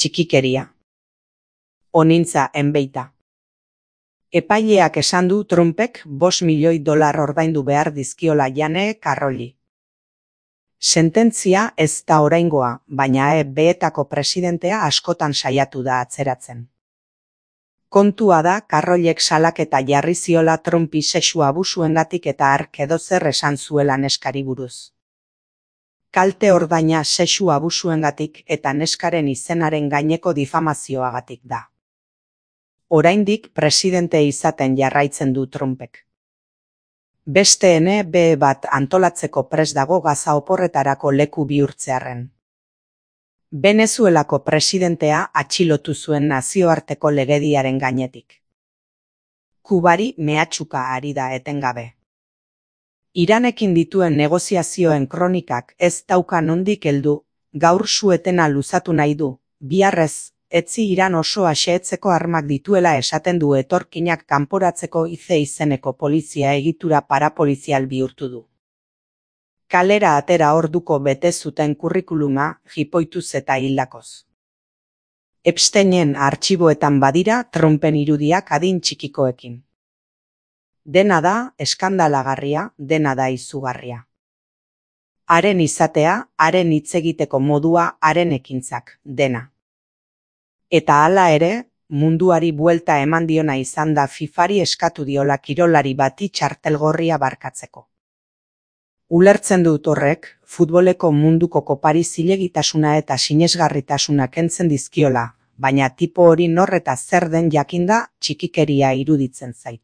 txikikeria. Onintza enbeita. Epaileak esan du Trumpek $5 milioi ordaindu behar dizkiola Jane Carrolli. Sententzia ez da oraingoa, baina EBetako presidentea askotan saiatu da atzeratzen. Kontua da Carrollek salaketa jarri ziola Trumpi sexu abusuengatik eta hark edozer esan zuela neskari buruz. Kalte ordaina sexu abusuengatik eta neskaren izenaren gaineko difamazioagatik da. Oraindik presidente izaten jarraitzen du Trumpek. Beste NB bat antolatzeko prest dago Gaza oporretarako leku bihurtzearren. Venezuelako presidentea atxilotu zuen nazioarteko legediaren gainetik. Kubari mehatxuka ari da etengabe. Iranekin dituen negoziazioen kronikak ez dauka nondik heldu, gaur su-etena luzatu nahi du, biharrez, etzi Iran oso xehetzeko armak dituela esaten du etorkinak kanporatzeko izeneko polizia egitura parapolizial bihurtu du. Kalera atera orduko bete zuten kurrikuluma jipoituz eta hildakoz. Epsteinen artxiboetan badira Trumpen irudiak adin txikikoekin. Dena da eskandalagarria, dena da izugarria. Haren izatea, haren hitz egiteko modua, haren ekintzak, dena. Eta hala ere, munduari buelta eman diona izan da FIFAri eskatu diola kirolari bati txartelgorria barkatzeko. Ulertzen dut horrek, futboleko munduko kopari zilegitasuna eta sinesgarritasuna kentzen dizkiola, baina tipo hori nor eta zer den jakinda txikikeria iruditzen zait.